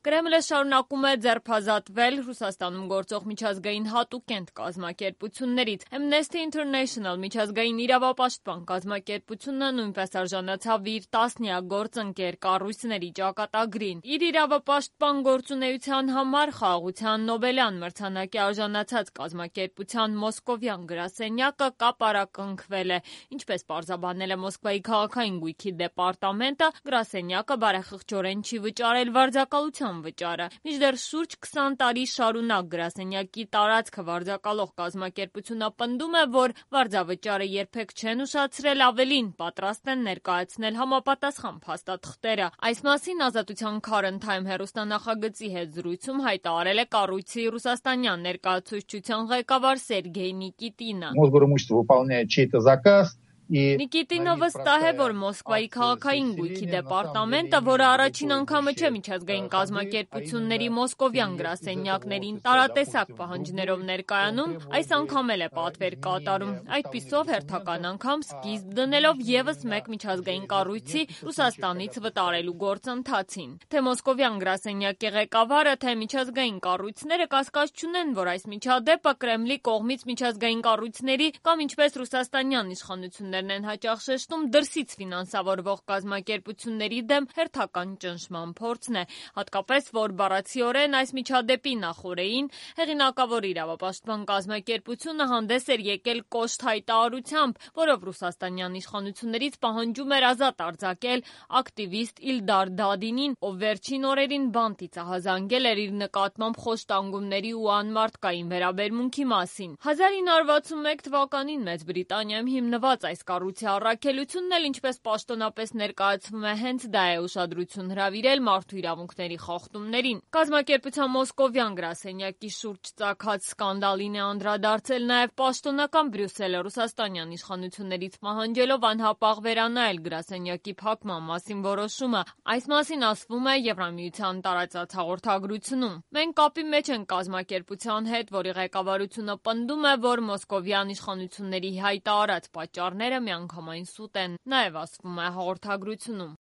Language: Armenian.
Կրեմլը շարունակում է ձերբազատվել Ռուսաստանում գործող միջազգային հատուկենտ կազմակերպություններից։ Amnesty International միջազգային իրավապաշտպան կազմակերպությունը նույնպես արժանացավ իր 10-յակ գործընկեր կառույցների ճակատագրին։ Իր իրավապաշտպան գործունեության համար Խաղաղության Նոբելյան մրցանակի արժանացած կազմակերպության մոսկովյան գրասենյակը կապարակնքվել է։ Ինչպես պարզաբանել է Մոսկվայի քաղաքային գույքի դեպարտամենտը, գրասենյակը բարեխղճորեն չի վճարել վարձակալության վճարը։ Մինչդեռ շուրջ 20 տարի շարունակ գրասենյակի տարածքը վարձակալող կազմակերպությունը պնդում է, որ վարձավճարը երբեք չեն ուշացրել, ավելին պատրաստ են ներկայացնել համապատասխան փաստաթղթերը։ Այս մասին Ազատության Current Time հեռուստանախագծի հետ զրույցում հայտարարել է կառույցի ռուսաստանյան ներկայացուցչության ղեկավար Սերգեյ Նիկիտինը։ Մոսգորիմущество выполняет чей-то заказ. Նիկիտինը վստահ է, որ Մոսկվայի քաղաքային գույքի դեպարտամենտը, որը առաջին անգամը չէ միջազգային կազմակերպությունների մոսկովյան գրասենյակներին տարատեսակ պահանջներով ներկայանում, այս անգամ էլ է պատվեր կատարում։ Այդպիսով հերթական անգամ սկիզբ դնելով ևս մեկ միջազգային կառույցի Ռուսաստանից վտարելու գործընթացին։ Թե մոսկովյան գրասենյակի ղեկավարը, թե միջազգային կառույցները կասկած չունեն, որ այս միջադեպը Կրեմլի կողմից միջազգային կառույցների կամ ինչպես ռուսաստանյան իշխանություններն են հաճախ շեշտում դրսից ֆինանսավորվող կազմակերպությունների դեմ հերթական ճնշման փորձն է, հատկապես որ բառացիորեն այս միջադեպի նախօրեին հեղինակավոր իրավապաշտպան կազմակերպությունը հանդես էր եկել կոշտ հայտարարությամբ, որով ռուսաստանյան իշխանություններից պահանջում էր ազատ արձակել ակտիվիստ Իլդար Դադինին, ով վերջին օրերին բան ծիծաղազանգել էր իր նկատմամբ խոշտանգումների ու անմարդկային վերաբերմունքի մասին։ 1961 թվականին Մեծ Բրիտանիայում հիմնված այս կառույցի առաքելությունն էլ ինչպես պաշտոնապես ներկայացվում է, հենց դա է ուշադրություն հրավիրել մարդու իրավունքների խախտումներին։ Կազմակերպության մոսկովյան գրասենյակի շուրջ ծագած սկանդալին է անդրադարձել նաև պաշտոնական Բրյուսելը ռուսաստանյան իշխանություններից պահանջելով անհապաղ վերանայել գրասենյակի փակման մասին որոշումը։ Այս մասին ասվում է Եվրամիության տարածած հաղորդագրությունում։ Մենք կապի մեջ ենք կազմակերպության հետ, որի ղեկավարությունը պնդում է, որ մոսկովյան իշխանությունների հայտարարած պատճառները միանգամայն սուտ են, նաև ասվում է հաղորդագրությունում։